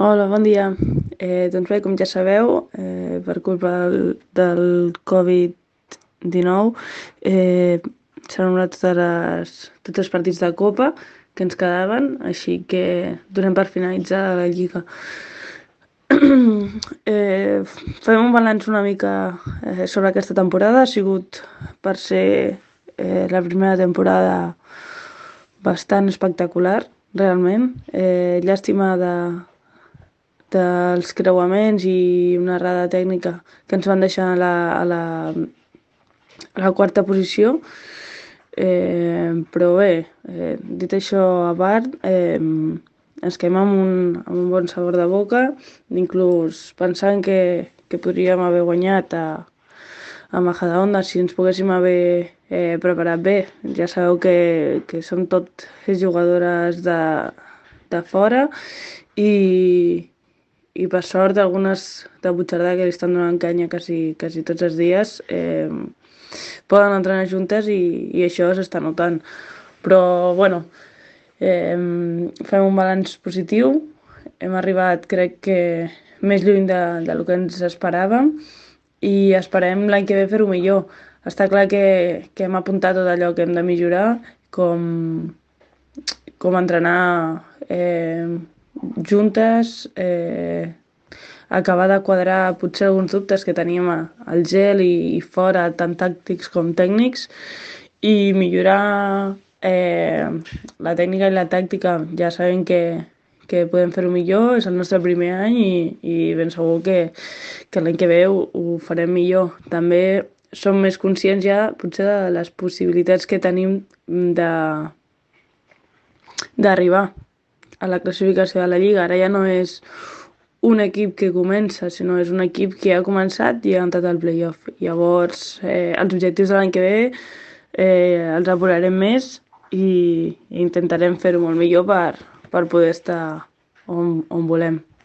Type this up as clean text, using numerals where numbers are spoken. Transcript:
Hola, bon dia. Doncs bé, com ja sabeu, per culpa del Covid-19, s'han anul·lat tots els partits de Copa que ens quedaven, així que donem per finalitzada la Lliga. Eh, Fem un balanç una mica sobre aquesta temporada. Ha sigut, per ser la primera temporada, bastant espectacular, realment. Llàstima dels creuaments i una errada tècnica que ens van deixar a la quarta posició. Però bé, dit això a part, ens quedem amb un bon sabor de boca, inclús pensant que podríem haver guanyat a Majadahonda si ens poguéssim haver preparat bé. Ja sabeu que som tot jugadores de fora i, i per sort algunes de Puigcerdà que li estan donant canya quasi tots els dies poden entrenar juntes i això s'està notant. Però bueno, fem un balanç positiu. Hem arribat, crec que, més lluny del que ens esperàvem i esperem l'any que ve fer-ho millor. Està clar que hem apuntat tot allò que hem de millorar, com entrenar juntes, acabar de quadrar potser alguns dubtes que teníem al gel i fora, tant tàctics com tècnics, i millorar la tècnica i la tàctica. Ja sabem que podem fer-ho millor, és el nostre primer any i ben segur que l'any que ve ho farem millor. També som més conscients ja potser de les possibilitats que tenim d'arribar a la classificació de la Lliga. Ara ja no és un equip que comença, sinó és un equip que ha començat i ha entrat al playoff. Llavors, els objectius de l'any que ve els apurarem més i intentarem fer-ho molt millor per poder estar on volem.